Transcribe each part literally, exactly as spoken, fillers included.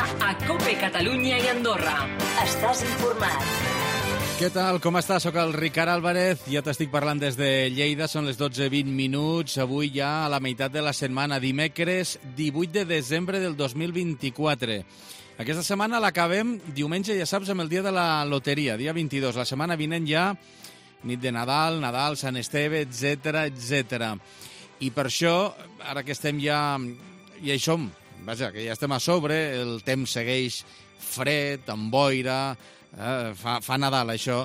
a COPE Catalunya i Andorra. Estàs informat. Què tal? Com estàs? Soc el Ricard Álvarez, ja t'estic parlant des de Lleida, són les dotze vint minuts, avui ja a la meitat de la setmana, dimecres divuit de desembre del dos mil vint-i-quatre. Aquesta setmana l'acabem diumenge, ja saps, amb el dia de la loteria, dia vint-i-dos. La setmana vinent ja nit de Nadal, Nadal, Sant Esteve, etcètera, etcètera. I per això, ara que estem ja... ja hi som, vaja, que ja estem a sobre, el temps segueix fred, amb boira, eh, fa, fa Nadal això,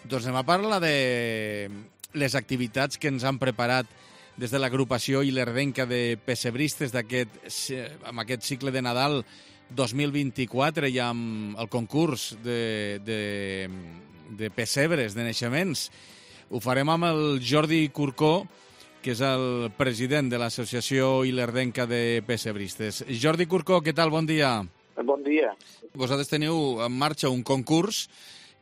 doncs anem a parlar de les activitats que ens han preparat des de l'agrupació Ilerdenca de pessebristes d'aquest, amb aquest cicle de Nadal dos mil vint-i-quatre i amb el concurs de, de, de pessebres, de naixements. Ho farem amb el Jordi Curcó, que és el president de l'Associació Ilerdenca de pessebristes. Jordi Curcó, què tal? Bon dia. Bon dia. Vosaltres teniu en marxa un concurs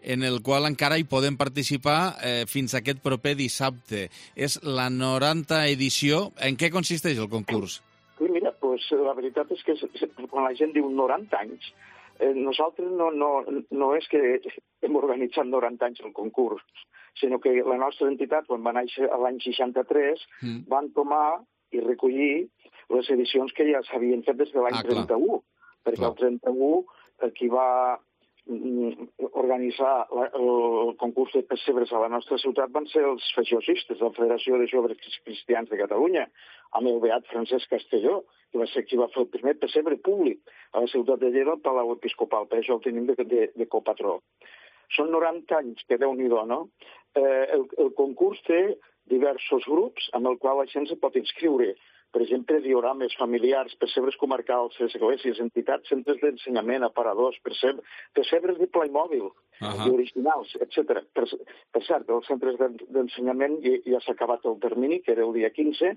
en el qual encara hi podem participar eh, fins aquest proper dissabte. És la norantena edició. En què consisteix el concurs? Sí, mira, pues, la veritat és que quan la gent diu noranta anys, eh, nosaltres no, no, no és que hem organitzat noranta anys el concurs, sinó que la nostra entitat, quan va néixer l'any seixanta-tres, mm. van tomar i recollir les edicions que ja s'havien fet des de l'any ah, trenta-u, perquè clar. El trenta-u qui va organitzar la, el concurs de pessebres a la nostra ciutat van ser els feixosistes de la Federació de Joves Cristians de Catalunya, amb el beat Francesc Castelló, que va ser qui va fer el primer pessebre públic a la ciutat de Lleida, al Palau Episcopal, per això el tenim de, de, de copatró. Són noranta anys, que Déu-n'hi-do, no? Eh, el, el concurs té diversos grups amb el qual la gent se pot inscriure. Per exemple, diorames familiars, pessebres comarcals, esglésies, entitats, centres d'ensenyament, aparadors, pessebres, pessebres de Playmobil, uh-huh. originals, etcètera. Per, per cert, els centres d'ensenyament ja, ja s'ha acabat el termini, que era el dia quinze,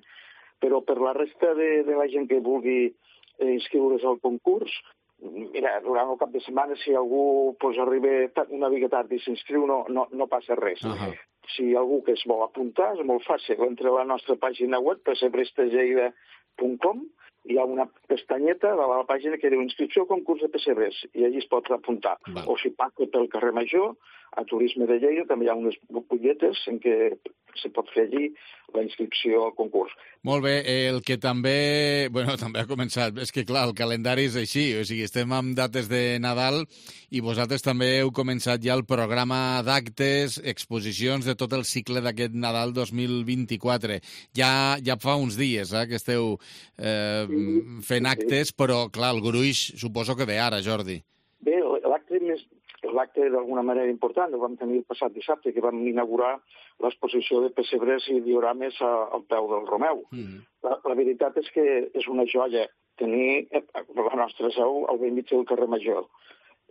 però per la resta de, de la gent que vulgui eh, inscriure's al concurs, mira, durant el cap de setmana, si algú pues, arriba una mica tard i s'inscriu, no, no, no passa res. Uh-huh. Si algú que es vol apuntar, és molt fàcil. Entra a la nostra pàgina web, pessebrestergeida punt com, hi ha una pestanyeta de la pàgina que diu inscripció al concurs de pessebres, i allí es pot apuntar. Va. O si passa pel carrer Major, a Turisme de Lleida, també hi ha unes butlletes en què se pot fer allí la inscripció al concurs. Molt bé, el que també, bueno, també ha començat, és que clar, el calendari és així, o sigui, estem amb dates de Nadal i vosaltres també heu començat ja el programa d'actes, exposicions de tot el cicle d'aquest Nadal dos mil vint-i-quatre. Ja, ja fa uns dies eh, que esteu eh, sí, fent actes, sí. Però clar, el gruix suposo que ve ara, Jordi. Bé, l'acte més... L'acte d'alguna manera important el vam tenir el passat dissabte, que vam inaugurar l'exposició de pessebres i diorames a, al peu del Romeu. Mm. La, la veritat és que és una joia tenir la nostra seu al vell mig del carrer Major.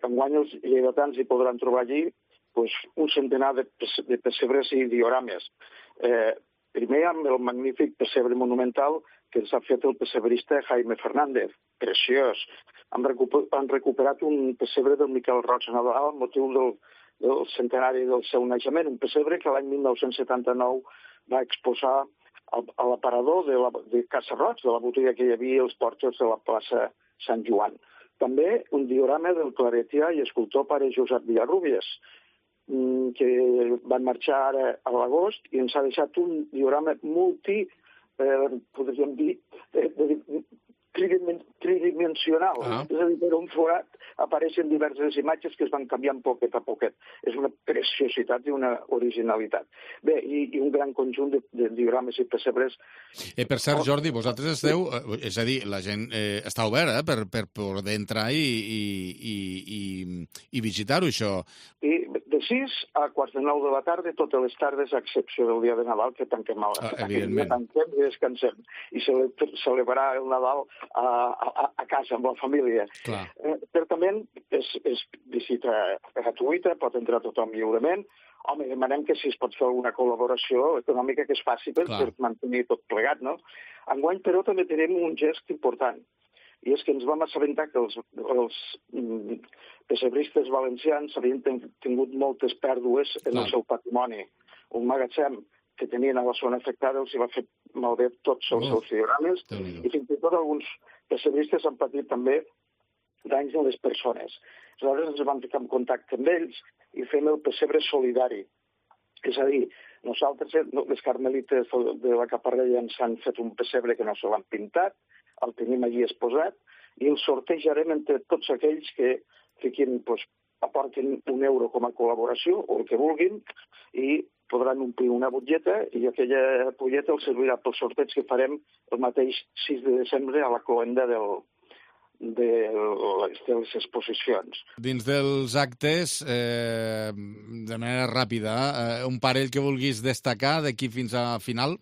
Enguany els lleidatans hi podran trobar allí pues, un centenar de, de pessebres i diorames. Eh, primer amb el magnífic pessebre monumental que ens ha fet el pessebrista Jaime Fernández, preciós. Han, recuper, han recuperat un pessebre del Miquel Roig Nadal amb motiu del, del centenari del seu naixement, un pessebre que l'any mil nou-cents setanta-nou va exposar al, a l'aparador de, la, de Casa Roig, de la botiga que hi havia als porxos de la plaça Sant Joan. També un diorama del claretià i escultor pare Josep Villarrubias, que van marxar ara a l'agost i ens ha deixat un diorama multi, eh, podríem dir, eh, de, tridimensional. Ah. És a dir, per un forat apareixen diverses imatges que es van canviant poquet a poquet. És una preciositat i una originalitat. Bé, i, i un gran conjunt de, de diorames i pessebres. Eh, per cert, Jordi, vosaltres esteu... És a dir, la gent eh, està oberta eh, per, per poder entrar i, i, i, i, i visitar-ho, això. I de sis a quarts de nou de la tarda, totes les tardes, a excepció del dia de Nadal, que tanquem a la... Ah, evidentment. Tanquem i descansem. I cele celebrar el Nadal a, a, a casa, amb la família. Clar. Eh, certament, és, és visita gratuïta, pot entrar tothom lliurement. Home, demanem que si es pot fer alguna col·laboració econòmica que es faci per, per mantenir tot plegat, no? Enguany, però, també tenim un gest important. I és que ens vam assabentar que els, els mm, pessebristes valencians havien ten, tingut moltes pèrdues en Clar. el seu patrimoni. Un magatzem que tenien a la zona afectada els hi va fer malbé tots els oh. seus diorames i fins i tot alguns pessebristes han patit també danys en les persones. Aleshores ens vam ficar en contacte amb ells i fem el pessebre solidari. És a dir, nosaltres, les carmelites de la Caparrella, ens han fet un pessebre que no se l'han pintat, el tenim allí exposat, i el sortejarem entre tots aquells que fiquin, doncs, aportin un euro com a col·laboració, o el que vulguin, i podran omplir una butlleta, i aquella butlleta els servirà pel sorteig que farem el mateix sis de desembre a la cloenda del, de, les, de les exposicions. Dins dels actes, eh, de manera ràpida, eh, un parell que vulguis destacar d'aquí fins a final?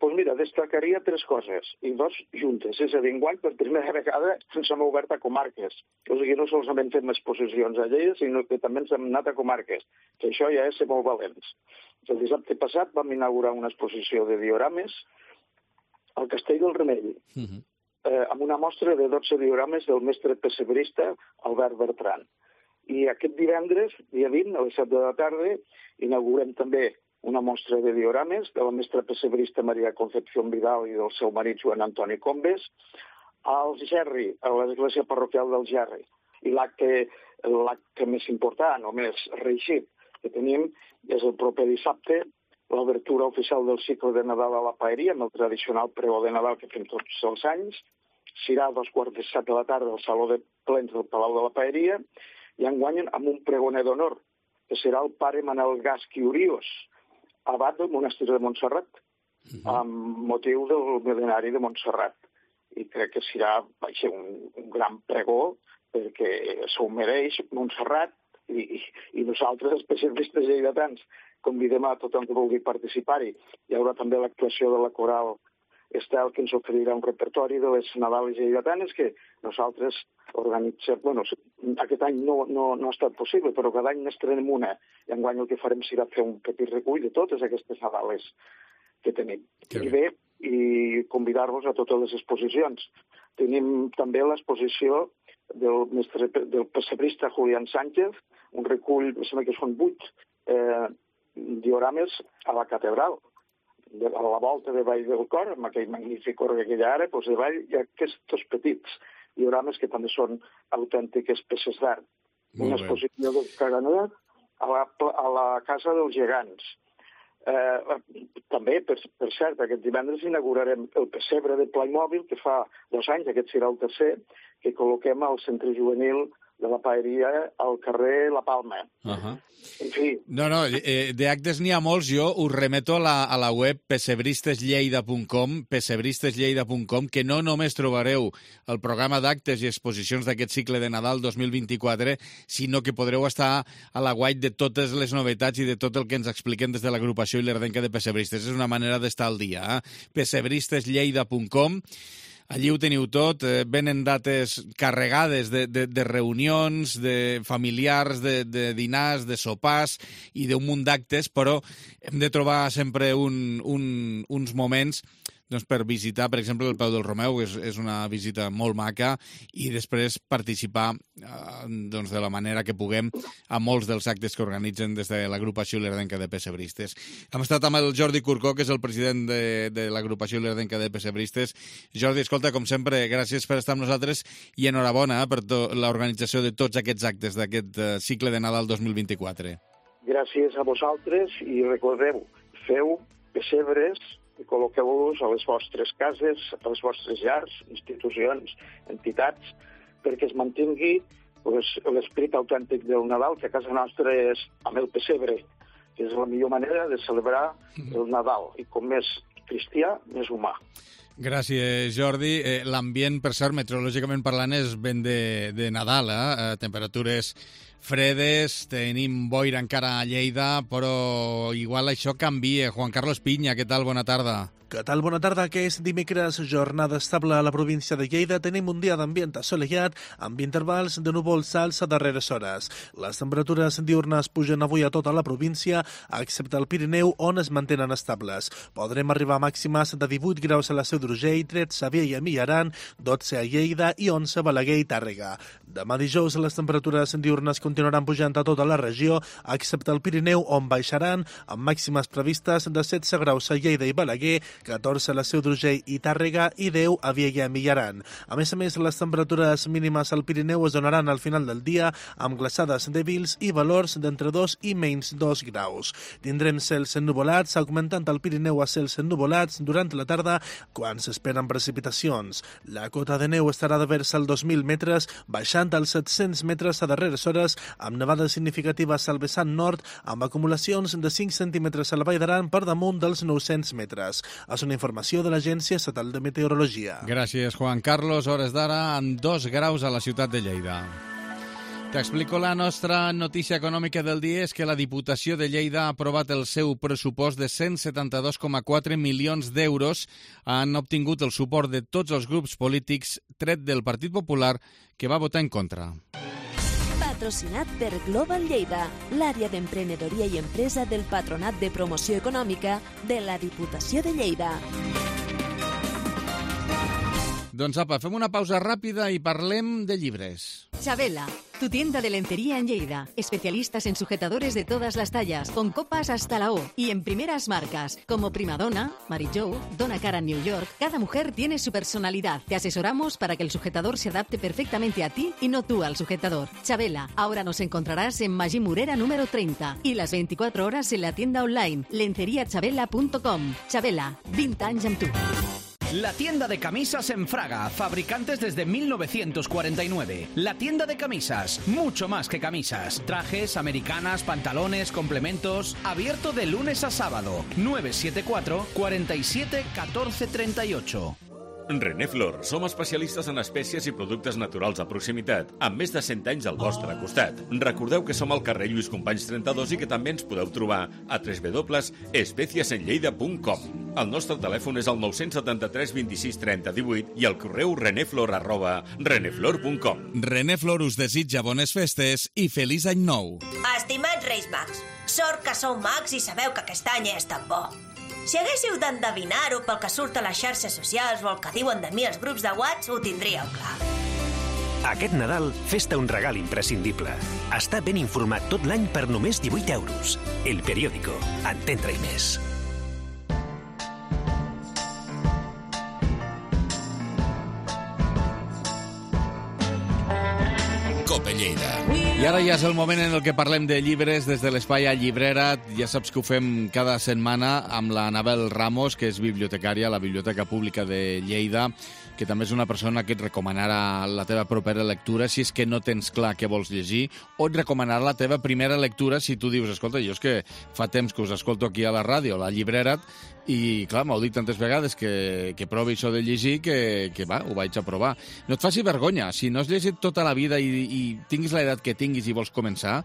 Doncs pues mira, destacaria tres coses, i dos juntes. És a dir, enguany, per primera vegada, ens hem obert a comarques. O sigui, no solament fem exposicions a Lleida, sinó que també ens hem anat a comarques, que això ja és ser molt valents. El dissabte passat vam inaugurar una exposició de diorames al Castell del Remei, uh-huh. eh, amb una mostra de dotze diorames del mestre pessebrista Albert Bertran. I aquest divendres, dia vint, a les set de la tarda, inaugurem també una mostra de diorames de la mestra pessebrista Maria Concepción Vidal i del seu marit Joan Antoni Combes als Gerri, a l'església parroquial del Gerri. I l'acte l'acte més important o més reeixit que tenim és el proper dissabte, l'obertura oficial del cicle de Nadal a la Paeria, amb el tradicional pregó de Nadal que fem tots els anys. Serà a dos quarts de set de la tarda al Saló de Plens del Palau de la Paeria, i enguany amb un pregoner d'honor, que serà el pare Manel Gasc i Urios, abat del monestir de Montserrat, uh-huh. amb motiu del mil·lenari de Montserrat. I crec que serà vaja, un, un gran pregó, perquè s'ho mereix Montserrat, i, i, i nosaltres, els pessevistes lleidatans, convidem a tothom que vulgui participar-hi. Hi haurà també l'actuació de la coral Estel, que ens oferirà un repertori de les Nadales lleidatanes que nosaltres organitzem. Bueno, aquest any no, no, no ha estat possible, però cada any n'estrenem una. I enguany el que farem serà fer un petit recull de totes aquestes Nadales que tenim. I bé, i convidar-vos a totes les exposicions. Tenim també l'exposició del, mestre, del pessebrista Julián Sánchez, un recull, em sembla que són vuit eh, diorames a la catedral, de, a la volta de Vall del Cor, amb aquell magnífic orgue que hi ha ara, doncs de Vall hi ha aquests petits diorames que també són autèntiques peces d'art. Una exposició del Caganer a la, a la Casa dels Gegants. Eh, també, per, per cert, aquest divendres inaugurarem el pessebre de Playmòbil, que fa dos anys, aquest serà el tercer, que col·loquem al centre juvenil de la Paeria al carrer La Palma. Uh-huh. En fi. No, no, eh, d'actes n'hi ha molts. Jo us remeto a la, a la web pessebristeslleida punt com, pessebristeslleida punt com, que no només trobareu el programa d'actes i exposicions d'aquest cicle de Nadal dos mil vint-i-quatre, sinó que podreu estar a la guait de totes les novetats i de tot el que ens expliquen des de l'agrupació i l'Erdenca de Pessebristes. És una manera d'estar al dia. Eh? pessebristeslleida punt com. Allí ho teniu tot, eh, venen dates carregades de, de, de reunions, de familiars, de, de dinars, de sopars i d'un munt d'actes, però hem de trobar sempre un, un, uns moments doncs, per visitar, per exemple, el Peu del Romeu, que és, és una visita molt maca, i després participar eh, doncs, de la manera que puguem a molts dels actes que organitzen des de l'agrupació L'Erdenca de Pessebristes. Hem estat amb el Jordi Curcó, que és el president de, de l'agrupació L'Erdenca de Pessebristes. Jordi, escolta, com sempre, gràcies per estar amb nosaltres i enhorabona eh, per l'organització de tots aquests actes d'aquest eh, cicle de Nadal dos mil vint-i-quatre. Gràcies a vosaltres i recordeu, feu pessebres i col·loqueu-los a les vostres cases, a les vostres llars, institucions, entitats, perquè es mantingui pues, l'esperit autèntic del Nadal, que a casa nostra és amb el pessebre, que és la millor manera de celebrar el Nadal. I com més cristià, més humà. Gràcies, Jordi. Eh, L'ambient, per cert, meteorològicament parlant, és ben de, de Nadal, eh? Temperatures fredes, tenim boira encara a Lleida, però igual això canvia. Juan Carlos Piña, què tal? Bona tarda. Què tal? Bona tarda. Aquest dimecres, jornada estable a la província de Lleida. Tenim un dia d'ambient assolellat, amb intervals de núvols alts a darreres hores. Les temperatures diurnes pugen avui a tota la província, excepte el Pirineu, on es mantenen estables. Podrem arribar a màximes de divuit graus a la Seu d'Urgell, tretze a Viella i Millaran, dotze a Lleida i onze a Balaguer i Tàrrega. Demà dijous les temperatures diürnes continuaran pujant a tota la regió, excepte el Pirineu, on baixaran, amb màximes previstes de setze graus a Lleida i Balaguer, catorze a la Seu d'Urgell i Tàrrega i deu a Viella i Millaran. A més a més, les temperatures mínimes al Pirineu es donaran al final del dia amb glaçades dèbils i valors d'entre dos i menys dos graus. Tindrem cels ennuvolats, augmentant al Pirineu a cels ennuvolats durant la tarda, quan s'esperen precipitacions. La cota de neu estarà de vers als dos mil metres, baixant als set-cents metres a darreres hores, amb nevades significatives al vessant nord, amb acumulacions de cinc centímetres a la Vall d'Aran per damunt dels nou-cents metres. És una informació de l'Agència Estatal de Meteorologia. Gràcies, Juan Carlos. Hores d'ara, amb dos graus a la ciutat de Lleida. T'explico la nostra notícia econòmica del dia. És que la Diputació de Lleida ha aprovat el seu pressupost de cent setanta-dos coma quatre milions d'euros. Han obtingut el suport de tots els grups polítics, tret del Partit Popular, que va votar en contra. Patrocinat per Global Lleida, l'àrea d'emprenedoria i empresa del Patronat de Promoció Econòmica de la Diputació de Lleida. Doncs apa, fem una pausa ràpida i parlem de llibres. Chabela, tu tienda de lencería en Lleida. Especialistas en sujetadores de todas las tallas, con copas hasta la O y en primeras marcas, como Primadonna, Mary Jo, Donna Karan New York. Cada mujer tiene su personalidad. Te asesoramos para que el sujetador se adapte perfectamente a ti y no tú al sujetador. Chabela, ahora nos encontrarás en Magí Morera número treinta y las veinticuatro horas en la tienda online lencería chabela punto com. Chabela, vint anys amb tu. La tienda de camisas en Fraga, fabricantes desde mil novecientos cuarenta y nueve. La tienda de camisas, mucho más que camisas. Trajes, americanas, pantalones, complementos. Abierto de lunes a sábado. nueve siete cuatro, cuatro siete, uno cuatro tres ocho. Reneflor, som especialistes en espècies i productes naturals de proximitat, amb més de cent anys al vostre costat. Recordeu que som al carrer Lluís Companys trenta-dos i que també ens podeu trobar a w w w punt espècies en lleida punt com. El nostre telèfon és el nou set tres, vint-i-sis, trenta, divuit i el correu reneflor arroba reneflor punt com. Reneflor us desitja bones festes i feliç any nou. Estimats Reis Mags, sort que sou mags i sabeu que aquest any és tan bo. Si haguéssiu d'endevinar-ho pel que surt a les xarxes socials o el que diuen de mi els grups de WhatsApp, ho tindríeu clar. Aquest Nadal, fes-te un regal imprescindible. Està ben informat tot l'any per només divuit euros. El Periódico. Entén-te-hi més. Cope Lleida. I ara ja és el moment en el que parlem de llibres des de l'espai a Llibrera. Ja saps que ho fem cada setmana amb la Anabel Ramos, que és bibliotecària a la Biblioteca Pública de Lleida, que també és una persona que et recomanarà la teva propera lectura si és que no tens clar què vols llegir, o et recomanarà la teva primera lectura si tu dius, escolta, jo és que fa temps que us escolto aquí a la ràdio, a la Llibrera, i clar, m'heu dit tantes vegades que, que provi això de llegir que, que va, ho vaig a provar. No et faci vergonya, si no has llegit tota la vida i, i tinguis l'edat que tinguis i vols començar,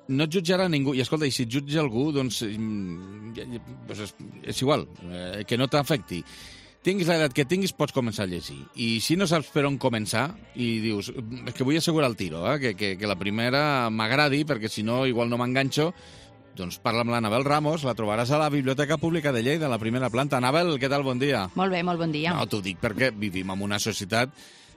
no et jutjarà ningú. I escolta, i si et jutja algú, doncs, doncs és, és igual, eh, que no t'afecti. Tinguis l'edat que tinguis, pots començar a llegir. I si no saps per on començar i dius, és que vull assegurar el tiro, eh, que, que, que la primera m'agradi, perquè si no igual no m'enganxo, doncs parla amb l'Anabel Ramos, la trobaràs a la Biblioteca Pública de Lleida, a la primera planta. Anabel, què tal? Bon dia. Molt bé, molt bon dia. No, t'ho dic perquè vivim en una societat,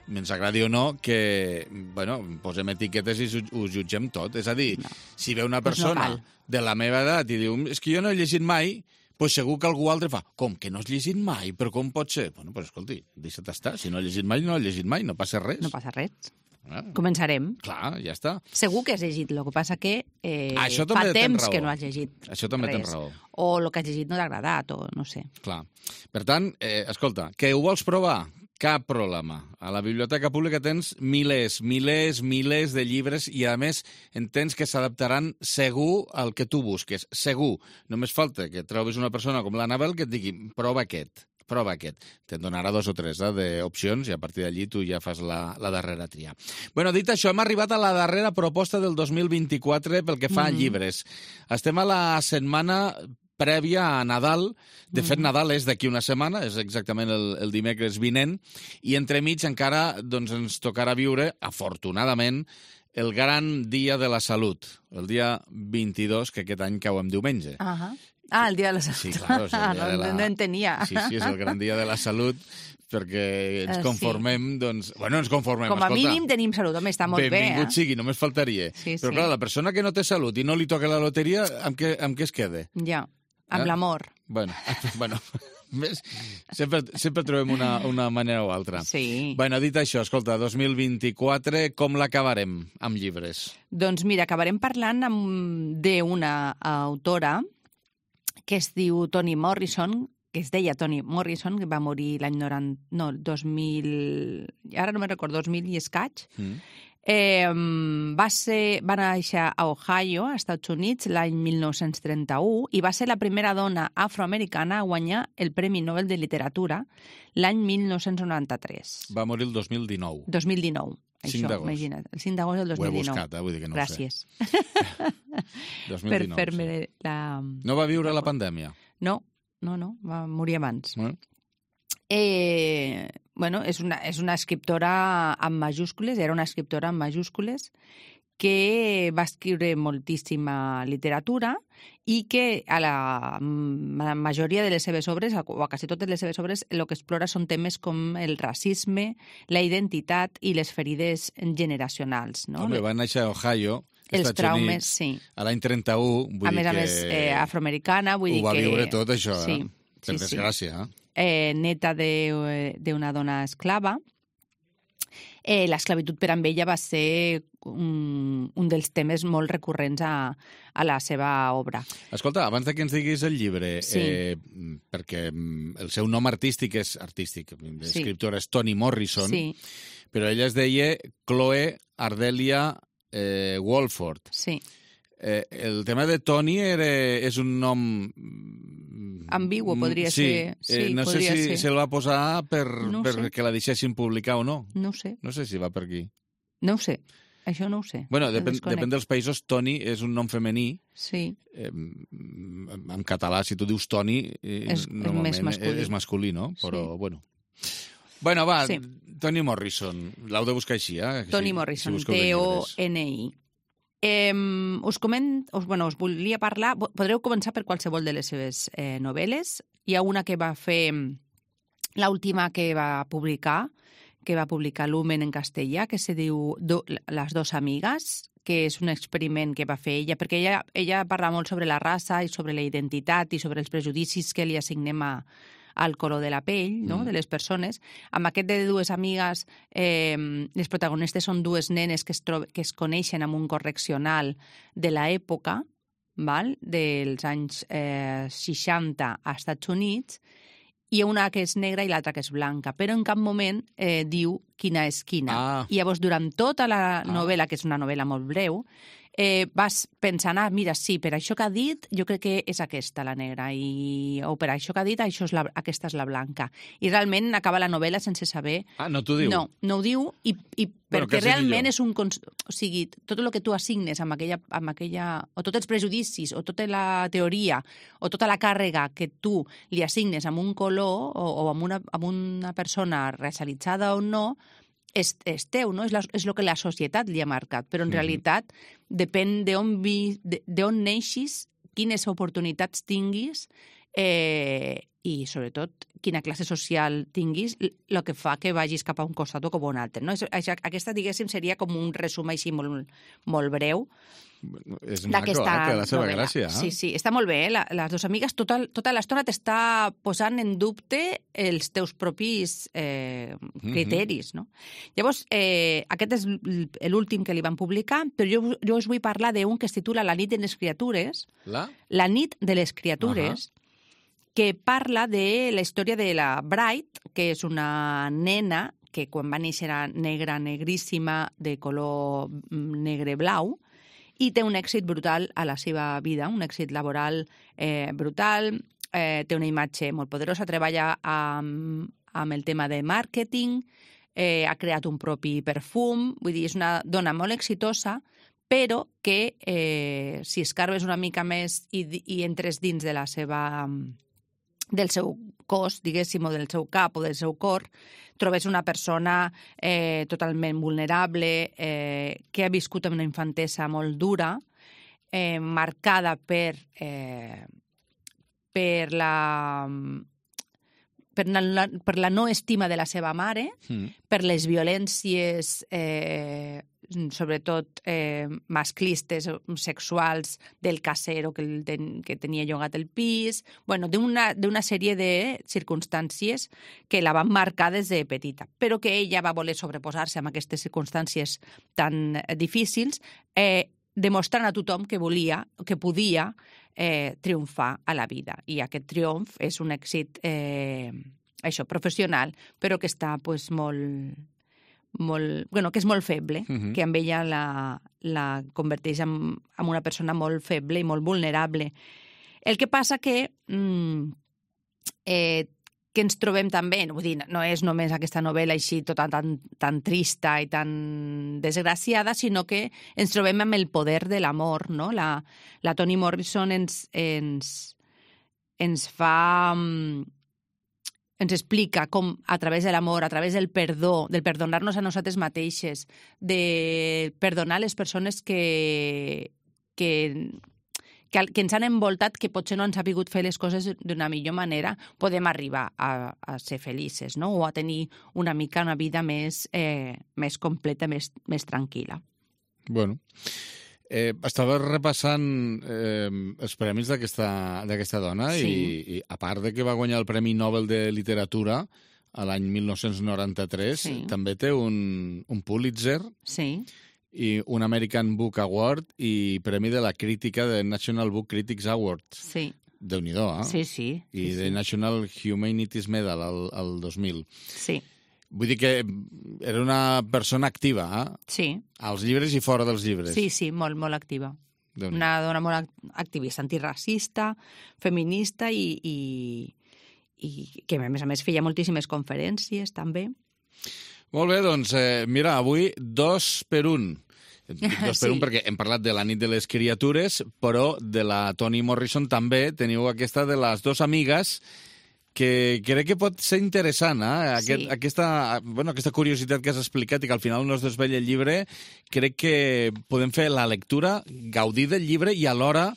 ens agradi o no, que, bueno, posem etiquetes i ho jutgem tot. És a dir, no. Si ve una persona no de la meva edat i diu, és que jo no he llegit mai, pues segur que algú altre fa, com que no has llegit mai? Però com pot ser? Bueno, pues escolti, deixa't estar. Si no has llegit mai, no has llegit mai, no passa res. No passa res. Ah. Començarem. Clar, ja està. Segur que has llegit, el que passa que eh, fa temps que no has llegit Això també res. Tens raó. O el que has llegit no t'ha agradat, o no sé. Clar. Per tant, eh, escolta, que ho vols provar? Cap problema. A la Biblioteca Pública tens milers, milers, milers de llibres i, a més, entens que s'adaptaran segur al que tu busques. Segur. Només falta que trobis una persona com l'Anabel que et digui, prova aquest. Prova aquest. Te'n donarà dos o tres eh, d'opcions i a partir d'allí tu ja fas la, la darrera tria. Bueno, dit això, hem arribat a la darrera proposta del dos mil vint-i-quatre pel que fa mm. a llibres. Estem a la setmana prèvia a Nadal. De fet, Nadal és d'aquí una setmana, és exactament el, el dimecres vinent, i entremig encara doncs, ens tocarà viure, afortunadament, el gran dia de la salut, el dia vint-i-dos, que aquest any cau en diumenge. Uh-huh. Ah, el dia de la salut. Sí, claro, és el dia de la... No entenia. Sí, sí, és el gran dia de la salut, perquè ens conformem, sí. doncs... Bueno, ens conformem, com a escolta. mínim tenim salut, home, està molt Benvingut bé. Benvingut eh? sigui, només faltaria. Sí, Però sí. clar, la persona que no té salut i no li toca la loteria, amb què, amb què es queda? Ja, amb eh? l'amor. Bueno, bueno sempre, sempre trobem una, una manera o altra. Sí. Bueno, dit això, escolta, dos mil vint-i-quatre, com l'acabarem amb llibres? Doncs mira, acabarem parlant d'una autora que es diu Toni Morrison, que es deia Toni Morrison, que va morir l'any noranta... No, dos mil... Ara no me'n recordo, dos mil i escaig. Mm. Eh, va, ser, va néixer a Ohio, a Estats Units, l'any mil nou-cents trenta-u, i va ser la primera dona afroamericana a guanyar el Premi Nobel de Literatura l'any mil nou-cents noranta-tres. Va morir el dos mil dinou. dos mil dinou. cinc d'agost. Imagina't, el cinc d'agost del dos mil dinou. Ho he buscat, eh? Vull dir que no Gràcies. ho sé. dos mil dinou, per fer-me sí. la... No va viure la pandèmia? No, no, no, va morir abans. Eh? Eh, bueno, és una, és una escriptora amb majúscules, era una escriptora amb majúscules, que va escriure moltíssima literatura i que a la, la majoria de les seves obres, o a quasi totes les seves obres, el que explora són temes com el racisme, la identitat i les ferides generacionals. No? Home, va néixer a Ohio, els Estats traumes, Units, sí. a l'any trenta-u, vull a més dir a que... més, eh, afroamericana, vull dir que... Ho va viure tot, això, sí, eh? Per sí, desgràcia, sí. eh? Neta d'una dona esclava. Eh, l'esclavitud per amb ella va ser un, un dels temes molt recurrents a, a la seva obra. Escolta, abans de que ens diguis el llibre, sí. eh, perquè el seu nom artístic és artístic, l'escriptora sí. és Toni Morrison, sí. però ella es deia Chloe Ardelia eh, Walford. Sí. Eh, el tema de Toni era, és un nom... ambigu, podria sí, ser. Sí, eh, no sé si ser. se'l va posar per, no per sé. que la deixessin publicar o no. No ho sé. No sé si va per aquí. No ho sé. Això no ho sé. Bueno, depèn, depèn dels països. Toni és un nom femení. Sí. Eh, en català, si tu dius Toni, eh, és, normalment és masculí. és masculí, no? Però, sí. bueno... Bueno, va, sí. Toni Morrison. L'heu de buscar així, eh? Toni si, Morrison, si T O N I. Eh, us, coment, us, bueno, us volia parlar... Podreu començar per qualsevol de les seves eh, novel·les. Hi ha una que va fer... L'última que va publicar, que va publicar Lumen en castellà, que se diu do, Les dos amigues, que és un experiment que va fer ella, perquè ella, ella parla molt sobre la raça i sobre la identitat i sobre els prejudicis que li assignem a, al color de la pell, no?, mm. de les persones. Amb aquest de dues amigues, eh, les protagonistes són dues nenes que es, que es coneixen amb un correccional de l'època, val? Dels anys eh, seixanta a Estats Units, i una que és negra i l'altra que és blanca, però en cap moment eh, diu quina és quina. Ah. I llavors, durant tota la novel·la, que és una novel·la molt breu, eh, vas pensant, ah, mira, sí, per això que ha dit, jo crec que és aquesta la negra, i... o per això que ha dit, això és la... aquesta és la blanca. I realment acaba la novel·la sense saber... Ah, no t'ho diu? No, no ho diu, i, i bueno, perquè realment és un... O sigui, tot el que tu assignes amb aquella, amb aquella... o tots els prejudicis, o tota la teoria, o tota la càrrega que tu li assignes amb un color o, o amb, una, amb una persona racialitzada o no, és, és teu, no? És, la, és el que la societat li ha marcat, però en mm. realitat depèn d'on vi, d'on neixis, quines oportunitats tinguis eh, i, sobretot, quina classe social tinguis, el que fa que vagis cap a un costat o cap a un altre. No? Aquesta, diguéssim, seria com un resum així molt, molt breu. És maco, eh? Té la seva novel·la. Gràcia. Eh? Sí, sí, està molt bé. Eh? La, les dues amigues, tota, tota l'estona t'està posant en dubte els teus propis eh, criteris. Mm-hmm. No? Llavors, eh, aquest és l'últim que li van publicar, però jo, jo us vull parlar d'un que es titula La nit de les criatures. La? La nit de les criatures, uh-huh. que parla de la història de la Bright, que és una nena que quan va néixer era negra, negríssima, de color negre-blau, i té un èxit brutal a la seva vida, un èxit laboral eh, brutal, eh, té una imatge molt poderosa, treballa amb, amb el tema de màrqueting, eh, ha creat un propi perfum, vull dir, és una dona molt exitosa, però que eh, si escarbes una mica més i, i entres dins de la seva... del seu cos, diguéssim, o del seu cap o del seu cor, trobes una persona eh, totalment vulnerable, eh, que ha viscut en una infantesa molt dura, eh, marcada per, eh, per la, per la, per la no estima de la seva mare, mm. per les violències, eh, sobretot eh, masclistes, sexuals, del casero que, el ten, que tenia llogat el pis, bueno, d'una sèrie de circumstàncies que la van marcar des de petita, però que ella va voler sobreposar-se amb aquestes circumstàncies tan difícils, eh, demostrant a tothom que volia, que podia eh, triomfar a la vida. I aquest triomf és un èxit eh, això, professional, però que està pues, molt... molt, bueno, que és molt feble, uh-huh. que amb ella la, la converteix en, en una persona molt feble i molt vulnerable. El que passa que, mm, eh, que ens trobem també, vull dir, no és només aquesta novel·la així tota tan, tan trista i tan desgraciada, sinó que ens trobem amb el poder de l'amor, no? La, la Toni Morrison ens, ens, ens fa... ens explica com a través de l'amor, a través del perdó, del perdonar-nos a nosaltres mateixes, de perdonar les persones que, que, que, que ens han envoltat, que potser no han sabut fer les coses d'una millor manera, podem arribar a, a ser felices, no? O a tenir una mica una vida més, eh, més completa, més, més tranquil·la. Bueno... Eh, estava repassant eh, els premis d'aquesta dona sí. i, i a part de que va guanyar el Premi Nobel de Literatura a l'any mil nou-cents noranta-tres, sí. també té un, un Pulitzer sí. i un American Book Award i Premi de la Crítica de National Book Critics Award. Sí. Déu-n'hi-do, eh? Sí, sí. I sí, de sí. National Humanities Medal al, al dos mil. Sí. Vull dir que era una persona activa, eh? Sí. Als llibres i fora dels llibres. Sí, sí, molt, molt activa. Una dona molt activista, antiracista, feminista i, i, i que, a més a més, feia moltíssimes conferències, també. Molt bé, doncs, eh, mira, avui dos per un. Dos per sí. un perquè hem parlat de la nit de les criatures, però de la Toni Morrison també teniu aquesta de les dos amigues que crec que pot ser interessant, eh? Aquest, sí. aquesta, bueno, aquesta curiositat que has explicat i que al final no es desvella el llibre, crec que podem fer la lectura, gaudir del llibre i alhora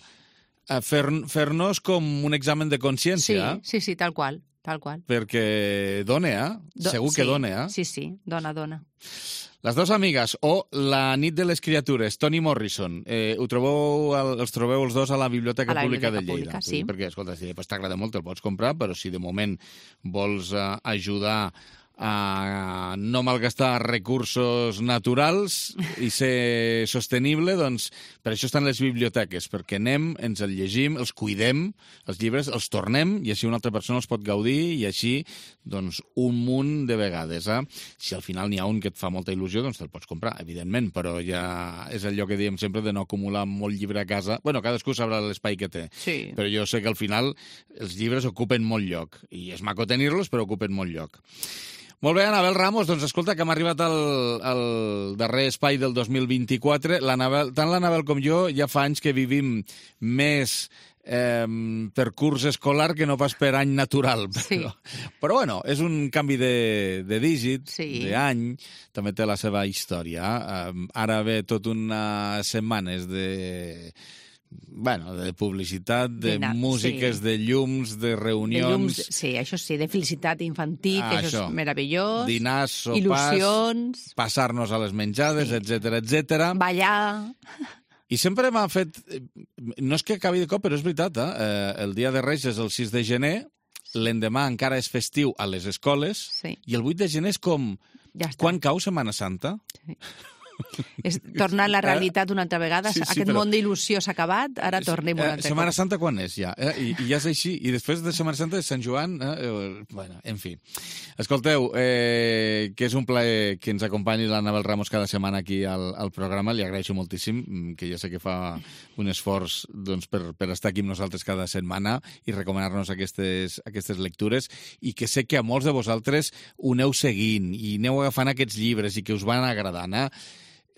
fer, fer-nos com un examen de consciència. Sí, sí, sí, tal qual, tal qual. Perquè dona, eh? Do, Segur sí, que dona, eh? Sí, sí, dona, dona. Les dues amigues, o La nit de les criatures, Toni Morrison. Eh, ho trobeu, els trobeu els dos a la Biblioteca a la Pública Biblioteca de Lleida. Pública, sí. Perquè, escolta, si pues, t'agrada molt, te'l pots comprar, però si de moment vols uh, ajudar a no malgastar recursos naturals i ser sostenible, doncs per això estan les biblioteques, perquè anem, ens el llegim, els cuidem, els llibres, els tornem, i així una altra persona els pot gaudir, i així, doncs, un munt de vegades. Eh? Si al final n'hi ha un que et fa molta il·lusió, doncs te'l pots comprar, evidentment, però ja és allò que diem sempre de no acumular molt llibre a casa. Bueno, cadascú sabrà l'espai que té, sí. però jo sé que al final els llibres ocupen molt lloc, i és maco tenir-los, però ocupen molt lloc. Molt bé, Anabel Ramos, doncs escolta, que hem arribat al, al darrer espai del dos mil vint-i-quatre. L'Anabel, tant l'Anabel com jo ja fa anys que vivim més eh, per curs escolar que no pas per any natural. Sí. Però, però bueno, és un canvi de, de dígit, sí. d'any, també té la seva història. Eh, ara ve tot unes setmanes de... Bueno, de publicitat, de Dinar, músiques, sí. de llums, de reunions... De llums, sí, això sí, de felicitat infantil, ah, que això, això és meravellós. Dinars, sopars, il·lusions... passar-nos a les menjades, sí. etcètera, etcètera. Ballar... I sempre m'ha fet... No és que acabi de cop, però és veritat, eh? El dia de Reis és el sis de gener, l'endemà encara és festiu a les escoles, sí. i el vuit de gener és com... Ja està. Quan cau Setmana Santa? Sí. És tornar a la realitat una altra vegada. Sí, sí, Aquest però... món d'il·lusió s'ha acabat, ara tornem una altra. Setmana Santa quan és, ja? Eh? I, I ja és així. I després de Setmana Santa és Sant Joan. Eh? Bueno, en fi. Escolteu, eh, que és un plaer que ens acompanyi l'Anabel Ramos cada setmana aquí al, al programa. Li agraeixo moltíssim, que ja sé que fa un esforç doncs, per, per estar aquí amb nosaltres cada setmana i recomanar-nos aquestes, aquestes lectures, i que sé que a molts de vosaltres ho aneu seguint i aneu agafant aquests llibres i que us van agradant, eh?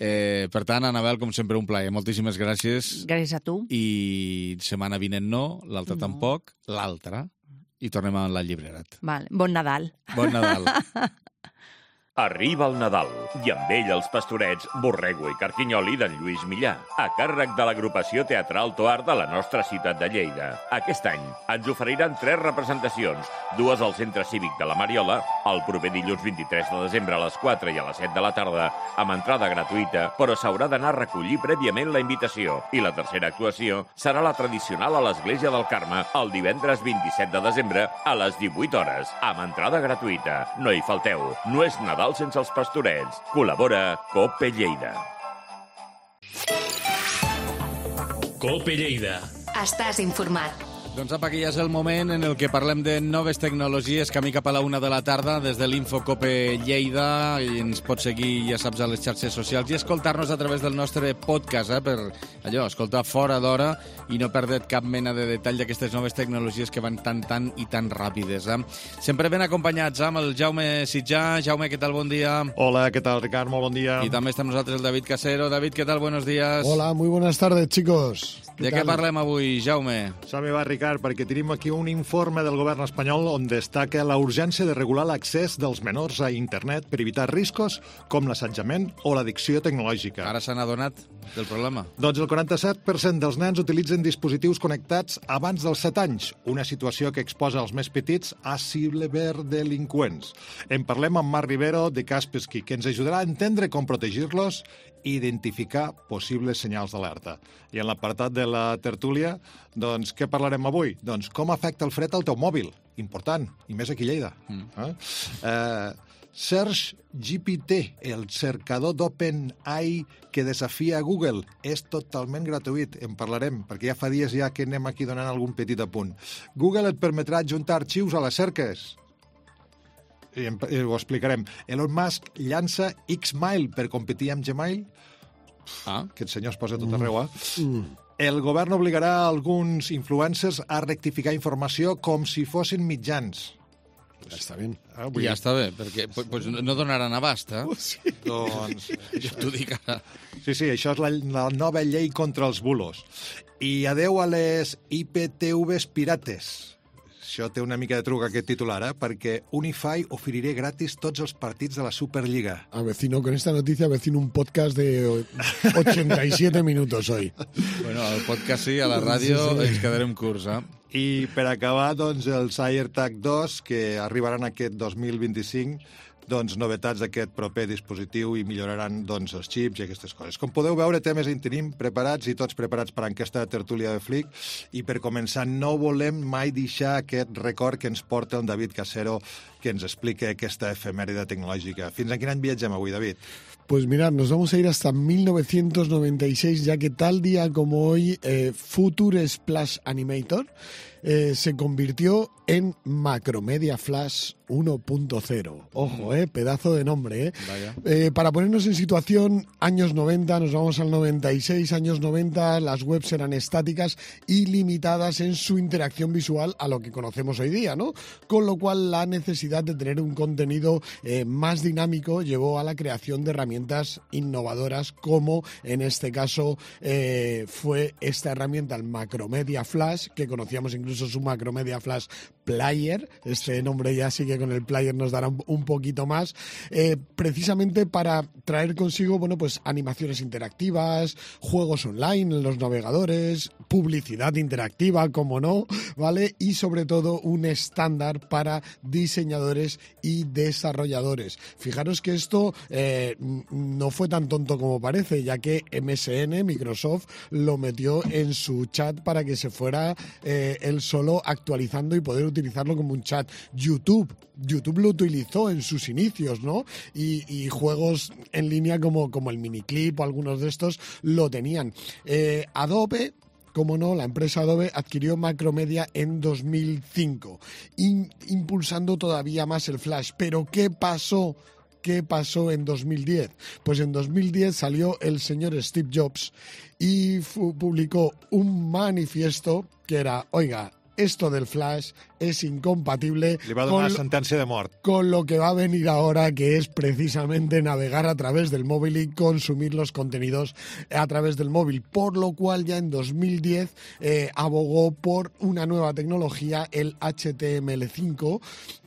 Eh, per tant, Anabel, com sempre, un plaer. Moltíssimes gràcies. Gràcies a tu. I setmana vinent no, l'altra no. tampoc, l'altra, i tornem a la llibrerat. Vale. Bon Nadal. Bon Nadal. Arriba el Nadal i amb ell els pastorets Borrego i Carquinyoli d'en Lluís Millà, a càrrec de l'agrupació teatral Toar de la nostra ciutat de Lleida. Aquest any ens oferiran tres representacions, dues al Centre Cívic de la Mariola, el proper dilluns vint-i-tres de desembre a les quatre i a les set de la tarda, amb entrada gratuïta, però s'haurà d'anar a recollir prèviament la invitació. I la tercera actuació serà la tradicional a l'Església del Carme el divendres vint-i-set de desembre a les divuit hores, amb entrada gratuïta. No hi falteu, no és Nadal sense els pastorets. Col·labora Cope Lleida. Cope Lleida. Estàs informat. Doncs apa, que ja és el moment en el que parlem de noves tecnologies, camí cap a la una de la tarda des de l'Infocope Lleida, i ens pots seguir, ja saps, a les xarxes socials i escoltar-nos a través del nostre podcast, eh, per allò, escoltar fora d'hora i no perdre't cap mena de detall d'aquestes noves tecnologies que van tan, tan i tan ràpides. Eh? Sempre ben acompanyats amb el Jaume Sitjà. Jaume, què tal? Bon dia. Hola, què tal, Ricard? Molt bon dia. I també està amb nosaltres el David Casero. David, què tal? Buenos días. Hola, muy buenas tardes, chicos. De què parlem avui, Jaume? Som-hi va, Ricard, perquè tenim aquí un informe del govern espanyol on destaca la urgència de regular l'accés dels menors a internet per evitar riscos com l'assetjament o l'addicció tecnològica. Ara s'han adonat del problema. Doncs el quaranta-set per cent dels nens utilitzen dispositius connectats abans dels set anys, una situació que exposa els més petits a ciberdelinqüents. En parlem amb Marc Rivero de Kaspersky, que ens ajudarà a entendre com protegir-los i identificar possibles senyals d'alerta. I en l'apartat de la tertúlia, doncs, què parlarem avui? Doncs com afecta el fred al teu mòbil. Important, i més aquí a Lleida. Mm. Eh? Eh, Search G P T, el cercador d'OpenAI que desafia Google, és totalment gratuït. En parlarem, perquè ja fa dies ja que anem aquí donant algun petit apunt. Google et permetrà adjuntar arxius a les cerques. I ho explicarem. Elon Musk llança Xmail per competir amb Gmail. Ah. Aquest senyor es posa tot arreu, eh? Mm. El govern obligarà alguns influencers a rectificar informació com si fossin mitjans. Ja està bé. Ah, vull... Ja està bé, perquè pues, no donaran abast, eh? Sí. Doncs... Jo t'ho dic ara. Sí, sí, això és la, la nova llei contra els bulos. I adeu a les I P T Vs pirates. Això té una mica de truc, aquest titular, eh? Perquè Unify oferiré gratis tots els partits de la Superliga. Avecino, con esta noticia avecino un podcast de ochenta y siete minutos hoy. Bueno, al podcast sí, a la ràdio sí, sí. Ens quedarem curts, eh? I per acabar, doncs, els AirTag dos, que arribaran aquest dos mil vint-i-cinc, doncs, novetats d'aquest proper dispositiu i milloraran doncs, els xips i aquestes coses. Com podeu veure, temes en tenim preparats i tots preparats per a aquesta tertúlia de Flick. I per començar, no volem mai deixar aquest record que ens porta el David Casero, que ens explica aquesta efemèride tecnològica. Fins a quin any viatgem avui, David? Pues mirad, nos vamos a ir hasta mil novecientos noventa y seis, ya que tal día como hoy, eh, Future Splash Animator eh, se convirtió en Macromedia Flash uno punto cero. Ojo, eh, pedazo de nombre, eh. Vaya. Eh, para ponernos en situación, años noventa, nos vamos al noventa y seis, años noventa, las webs eran estáticas y limitadas en su interacción visual a lo que conocemos hoy día, ¿no? Con lo cual la necesidad de tener un contenido eh, más dinámico llevó a la creación de herramientas innovadoras, como en este caso eh, fue esta herramienta, el Macromedia Flash, que conocíamos incluso su Macromedia Flash Player. Este nombre ya sí que con el Player nos dará un, un poquito más, eh, precisamente para traer consigo, bueno, pues animaciones interactivas, juegos online en los navegadores, publicidad interactiva, como no, ¿vale? Y sobre todo un estándar para diseñadores y desarrolladores. Fijaros que esto eh, no fue tan tonto como parece, ya que M S N, Microsoft, lo metió en su chat para que se fuera eh, él solo actualizando y poder utilizarlo como un chat. YouTube, YouTube lo utilizó en sus inicios, ¿no? Y, y juegos en línea como, como el Miniclip o algunos de estos lo tenían. Eh, Adobe, como no, la empresa Adobe adquirió Macromedia en dos mil cinco, in, impulsando todavía más el Flash. Pero ¿qué pasó? ¿Qué pasó en dos mil diez? Pues en dos mil diez salió el señor Steve Jobs y publicó un manifiesto que era, oiga, esto del Flash es incompatible Li va donar con, sentència de mort. Con lo que va a venir ahora, que es precisamente navegar a través del móvil y consumir los contenidos a través del móvil. Por lo cual ya en dos mil diez eh, abogó por una nueva tecnología, el H T M L cinco,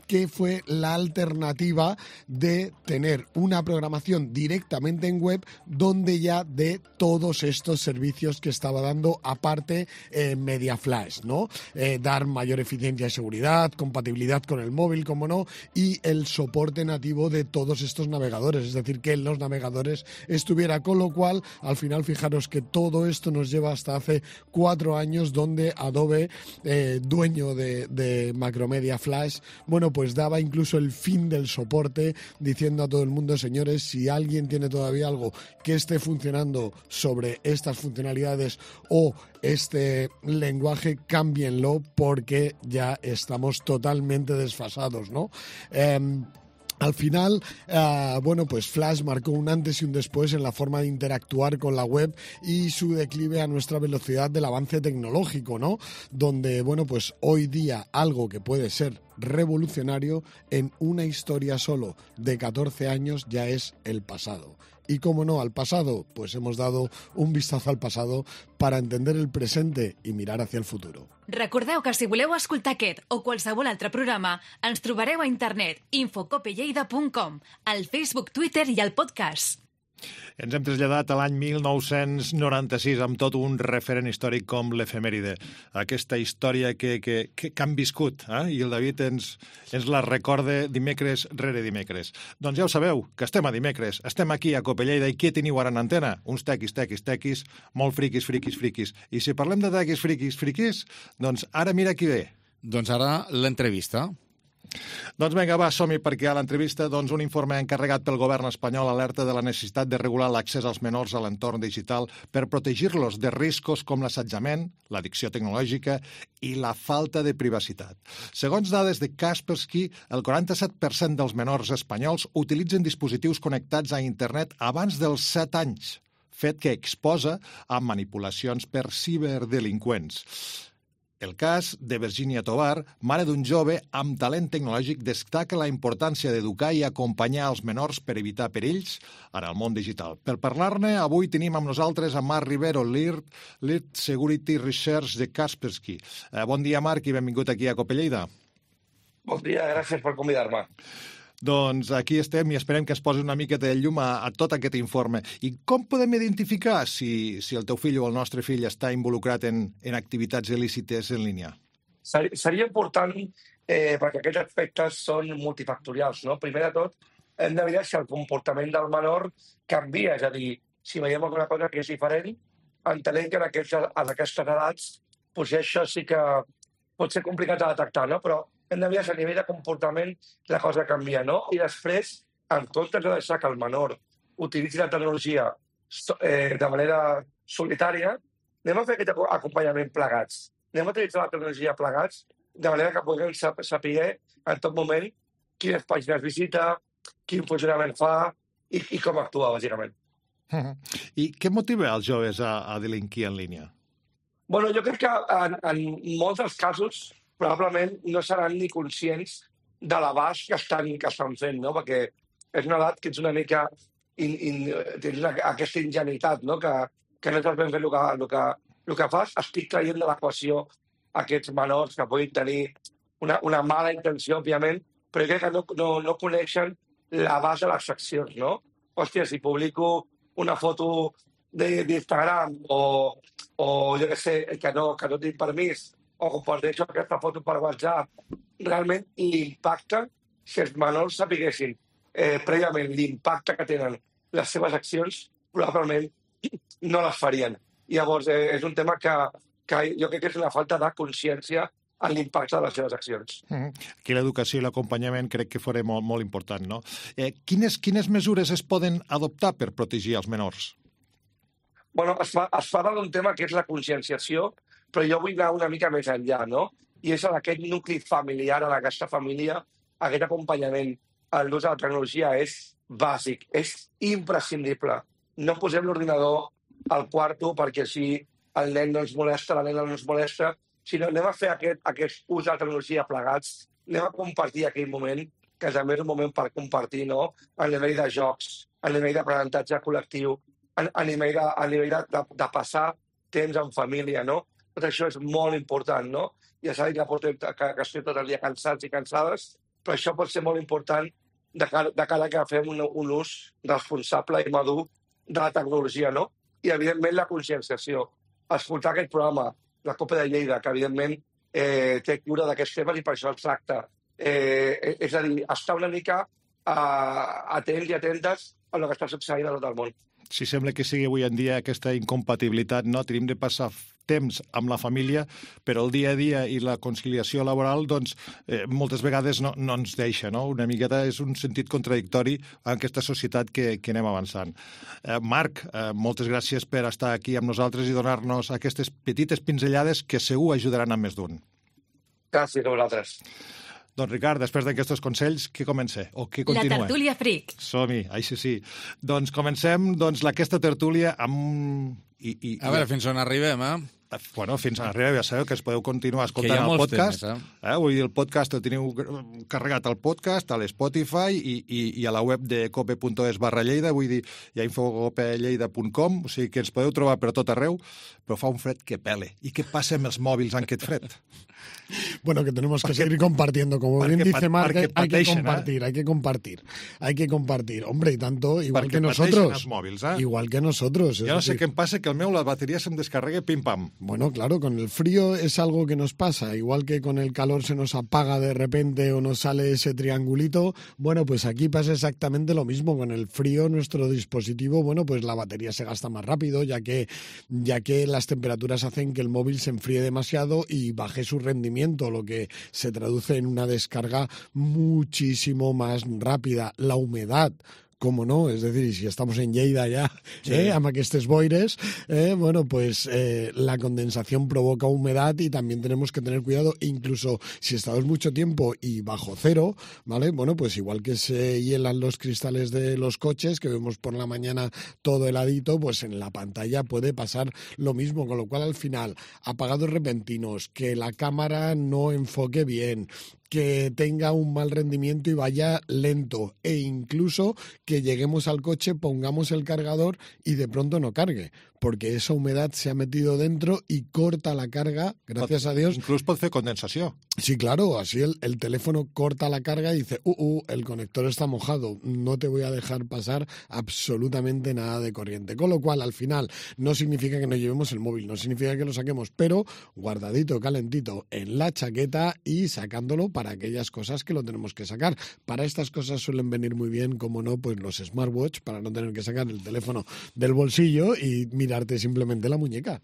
que fue la alternativa de tener una programación directamente en web donde ya de todos estos servicios que estaba dando aparte eh, MediaFlash, ¿no? Eh, dar mayor eficiencia y seguridad, compatibilidad con el móvil, como no, y el soporte nativo de todos estos navegadores, es decir, que en los navegadores estuviera, con lo cual, al final, fijaros que todo esto nos lleva hasta hace cuatro años donde Adobe, eh, dueño de, de Macromedia Flash, bueno, pues daba incluso el fin del soporte, diciendo a todo el mundo, señores, si alguien tiene todavía algo que esté funcionando sobre estas funcionalidades o este lenguaje, cámbienlo porque ya estamos totalmente desfasados, ¿no? Eh, Al final, eh, bueno, pues Flash marcó un antes y un después en la forma de interactuar con la web y su declive a nuestra velocidad del avance tecnológico, ¿no? Donde, bueno, pues hoy día algo que puede ser revolucionario en una historia solo de catorce años ya es el pasado. Y cómo no, al pasado, pues hemos dado un vistazo al pasado para entender el presente i mirar hacia el futuro. Recordeu que si voleu escoltar aquest o qualsevol altre programa, ens trobareu a internet infocopelleida punt com, al Facebook, Twitter i al podcast. Ens hem traslladat a l'any mil nou-cents noranta-sis amb tot un referent històric com l'efemèride. Aquesta història que, que, que, que han viscut, eh? I el David ens, ens la recorda dimecres rere dimecres. Doncs ja ho sabeu, que estem a dimecres, estem aquí a Copelleida i què teniu ara en antena? Uns tequis, tequis, tequis, molt friquis, friquis, friquis. I si parlem de tequis, friquis, friquis, doncs ara mira qui ve. Doncs ara l'entrevista. Doncs vinga, va, som-hi, perquè a l'entrevista doncs, un informe encarregat pel govern espanyol alerta de la necessitat de regular l'accés als menors a l'entorn digital per protegir-los de riscos com l'assetjament, l'addicció tecnològica i la falta de privacitat. Segons dades de Kaspersky, el quaranta-set per cent dels menors espanyols utilitzen dispositius connectats a internet abans dels set anys, fet que exposa a manipulacions per ciberdelinqüents. El cas de Virginia Tovar, mare d'un jove amb talent tecnològic, destaca la importància d'educar i acompanyar els menors per evitar perills en el món digital. Per parlar-ne, avui tenim amb nosaltres a Marc Rivero, Lead, Lead Security Research de Kaspersky. Eh, bon dia, Marc, i benvingut aquí a Copelleida. Bon dia, gràcies per convidar-me. Doncs aquí estem i esperem que es posi una mica de llum a, a tot aquest informe. I com podem identificar si, si el teu fill o el nostre fill està involucrat en, en activitats il·lícites en línia? Seria important, eh, perquè aquests aspectes són multifactorials, no? Primer de tot, hem de mirar si el comportament del menor canvia, és a dir, si veiem alguna cosa que és diferent, entenem que en, aquests, en aquestes edats doncs això sí que pot ser complicat de detectar, no? Però hem de mirar si a nivell de comportament la cosa canvia, no? I després, en comptes de deixar que el menor utilitzi la tecnologia eh, de manera solitària, anem a fer aquest acompanyament plegats. Anem a utilitzar la tecnologia plegats de manera que puguem saber en tot moment quines pàgines visita, quin funcionament fa i, i com actua, bàsicament. I què motiva els joves a, a delinquir en línia? Bueno, jo crec que en, en molts dels casos probablement no seran ni conscients de l'abast que estan, que estan fent, no? Perquè és una edat que ets una mica... In, in, tens una, aquesta ingenuïtat, no? Que, que no saps ben fer el que, el que, el que fas. Estic traient de l'equació aquests menors que puguin tenir una, una mala intenció, òbviament, però crec que no, no, no coneixen l'abast de les accions, no? Hòstia, si publico una foto d'Instagram o, o jo què sé, que no, que no tinc permís, o comparteixo aquesta foto per WhatsApp, realment l'impacte, si els menors sapiguessin eh, prèviament l'impacte que tenen les seves accions, probablement no les farien. I llavors eh, és un tema que, que jo crec que és una falta de consciència en l'impacte de les seves accions. Mm-hmm. Aquí l'educació i l'acompanyament crec que fora molt, molt important, no? Eh, quines, quines mesures es poden adoptar per protegir els menors? Bueno, es, fa, es parla d'un tema que és la conscienciació, però jo vull anar una mica més enllà, no? I és en aquest nucli familiar, en aquesta família, aquest acompanyament a l'ús de la tecnologia és bàsic, és imprescindible. No posem l'ordinador al quarto perquè així el nen no ens molesta, la nena no ens molesta, sinó anem a fer aquest, aquest ús de la tecnologia plegats, anem a compartir aquell moment, que també és un moment per compartir, no? A nivell de jocs, a nivell d'aprenentatge col·lectiu, a, a nivell, de, a nivell de, de, de passar temps en família, no? Tot això és molt important, no? Ja s'ha dit que, portem, que, que estem tot el dia cansats i cansades però això pot ser molt important de cara, de cara que fem un, un ús responsable i madur de la tecnologia, no? I, evidentment, la conscienciació. Escoltar aquest programa, la Copa de Lleida, que, evidentment, eh, té cura d'aquests temes i per això el tracta. Eh, és a dir, estar una mica eh, atents i atentes a el que està succeint a tot el món. Si sembla que sigui avui en dia aquesta incompatibilitat, no? Tenim de passar temps amb la família, però el dia a dia i la conciliació laboral, doncs, eh, moltes vegades no, no ens deixa, no? Una miqueta és un sentit contradictori en aquesta societat que, que anem avançant. Eh, Marc, eh, moltes gràcies per estar aquí amb nosaltres i donar-nos aquestes petites pinzellades que segur ajudaran a més d'un. Gràcies a vosaltres. Doncs, Ricard, després d'aquests consells, què comença? O què continua? La tertúlia fric. Som-hi, així sí. Doncs comencem doncs, aquesta tertúlia amb... I, i, a veure, fins on arribem, eh? Bueno, fins on arribem, ja sabeu que es podeu continuar escoltant el podcast. Temes, eh? Eh? Vull dir, el podcast el teniu carregat al podcast, a l'Spotify i, i, i a la web de cope punt es barra Lleida, vull dir, hi ha infocopelleida punt com, o sigui que ens podeu trobar per tot arreu, però fa un fred que pele. I què passa amb els mòbils en aquest fred? Bueno, que tenemos que seguir compartiendo. Como bien dice Marc, hay que compartir, hay que compartir. Hay que compartir. Hombre, y tanto, igual que nosotros. Móvils, eh? Igual que nosotros. Yo no sé qué pasa, que el meu la batería se me descarregue pim pam. Bueno, claro, con el frío es algo que nos pasa. Igual que con el calor se nos apaga de repente o nos sale ese triangulito. Bueno, pues aquí pasa exactamente lo mismo. Con el frío nuestro dispositivo, bueno, pues la batería se gasta más rápido, ya que, ya que las temperaturas hacen que el móvil se enfríe demasiado y baje su rendimiento, lo que se traduce en una descarga muchísimo más rápida. La humedad, cómo no, es decir, si estamos en Lleida ya, sí. eh, amb aquestes boires, eh, bueno, pues eh, la condensación provoca humedad y también tenemos que tener cuidado, incluso si estamos mucho tiempo y bajo cero, ¿vale? Bueno, pues igual que se hielan los cristales de los coches, que vemos por la mañana todo heladito, pues en la pantalla puede pasar lo mismo, con lo cual al final, apagados repentinos, que la cámara no enfoque bien, que tenga un mal rendimiento y vaya lento, e incluso que lleguemos al coche, pongamos el cargador y de pronto no cargue, porque esa humedad se ha metido dentro y corta la carga, gracias a Dios. Incluso puede hacer condensación. Sí, claro, así el, el teléfono corta la carga y dice, uh, uh, el conector está mojado, no te voy a dejar pasar absolutamente nada de corriente. Con lo cual, al final, no significa que no llevemos el móvil, no significa que lo saquemos, pero guardadito, calentito en la chaqueta y sacándolo para aquellas cosas que lo tenemos que sacar. Para estas cosas suelen venir muy bien, como no, pues los smartwatch, para no tener que sacar el teléfono del bolsillo y mirarte simplemente la muñeca.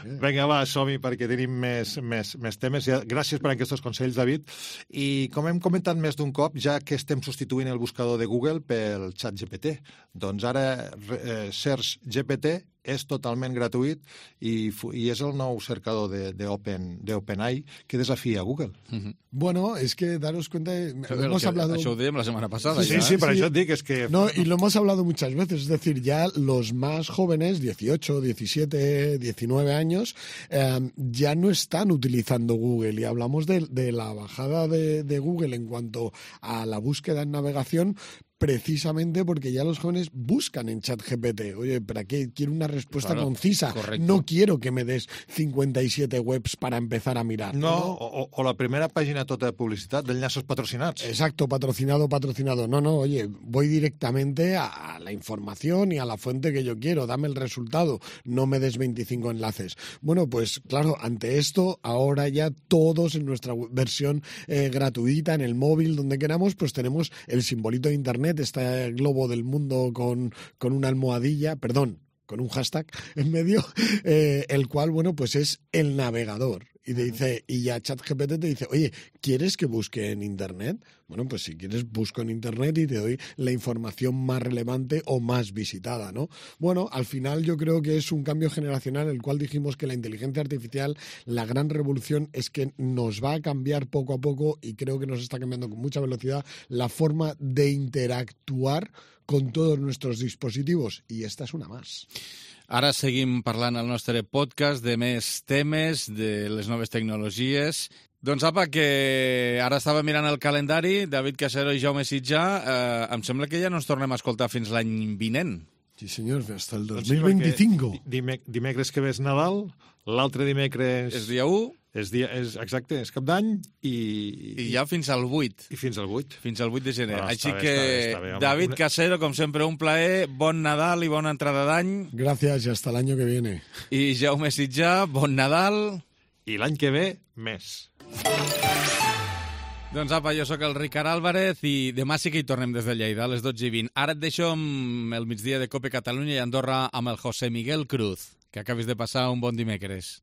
Vinga, va, som-hi, perquè tenim més, més, més temes. Gràcies per aquests consells, David. I com hem comentat més d'un cop, ja que estem substituint el buscador de Google pel xat G P T, doncs ara eh, Search G P T és totalment gratuït i, i és el nou cercador de, de, Open, de OpenAI que desafía a Google. Uh-huh. Bueno, es que daros cuenta... Això, hemos que, hablado... això ho dèiem la setmana passada. Sí, ja, sí, eh? per sí. això et dic, és que... No, y lo hemos hablado muchas veces, es decir, ya los más jóvenes, dieciocho, diecisiete, diecinueve años, eh, ya no están utilizando Google, y hablamos de, de la bajada de, de Google en cuanto a la búsqueda en navegación, precisamente porque ya los jóvenes buscan en ChatGPT. Oye, ¿para qué? Quiero una respuesta claro, concisa. Correcto. No quiero que me des cincuenta y siete webs para empezar a mirar. No, ¿no? O, o la primera pàgina tota de publicitat d'enllaços patrocinats. Exacto, patrocinado, patrocinado. No, no, oye, voy directamente a la información y a la fuente que yo quiero. Dame el resultado. No me des veinticinco enlaces. Bueno, pues claro, ante esto, ahora ya todos en nuestra versión eh, gratuita, en el móvil, donde queramos, pues tenemos el simbolito de Internet, este globo del mundo con, con una almohadilla, perdón, con un hashtag en medio, eh, el cual, bueno, pues es el navegador. Y te dice, y ya ChatGPT te dice, oye, ¿quieres que busque en Internet? Bueno, pues si quieres, busco en Internet y te doy la información más relevante o más visitada, ¿no? Bueno, al final yo creo que es un cambio generacional, el cual dijimos que la inteligencia artificial, la gran revolución es que nos va a cambiar poco a poco, y creo que nos está cambiando con mucha velocidad la forma de interactuar con todos nuestros dispositivos, y esta es una más. Ara seguim parlant al nostre podcast de més temes, de les noves tecnologies. Doncs apa, que ara estava mirant el calendari, David Casero i Jaume Sitjà, eh, em sembla que ja no ens tornem a escoltar fins l'any vinent. Sí, senyor, hasta el Doncs dos mil veinticinco. Dime, dimecres que ve és Nadal, l'altre dimecres... És dia u. És dia, és, exacte, és cap d'any i... I ja fins al vuit. I fins al vuit. Fins al vuit de gener. Ah, Així bé, que, està bé, està bé, home. David Una... Casero, com sempre, un plaer. Bon Nadal i bona entrada d'any. Gracias, y hasta el año que viene. I Jaume Sitjà, bon Nadal. I l'any que ve, més. Doncs apa, jo sóc el Ricard Álvarez i demà sí que hi tornem des de Lleida, a les dotze i vint. Ara et deixo amb el migdia de Cope Catalunya i Andorra amb el José Miguel Cruz. Que acabis de passar un bon dimecres.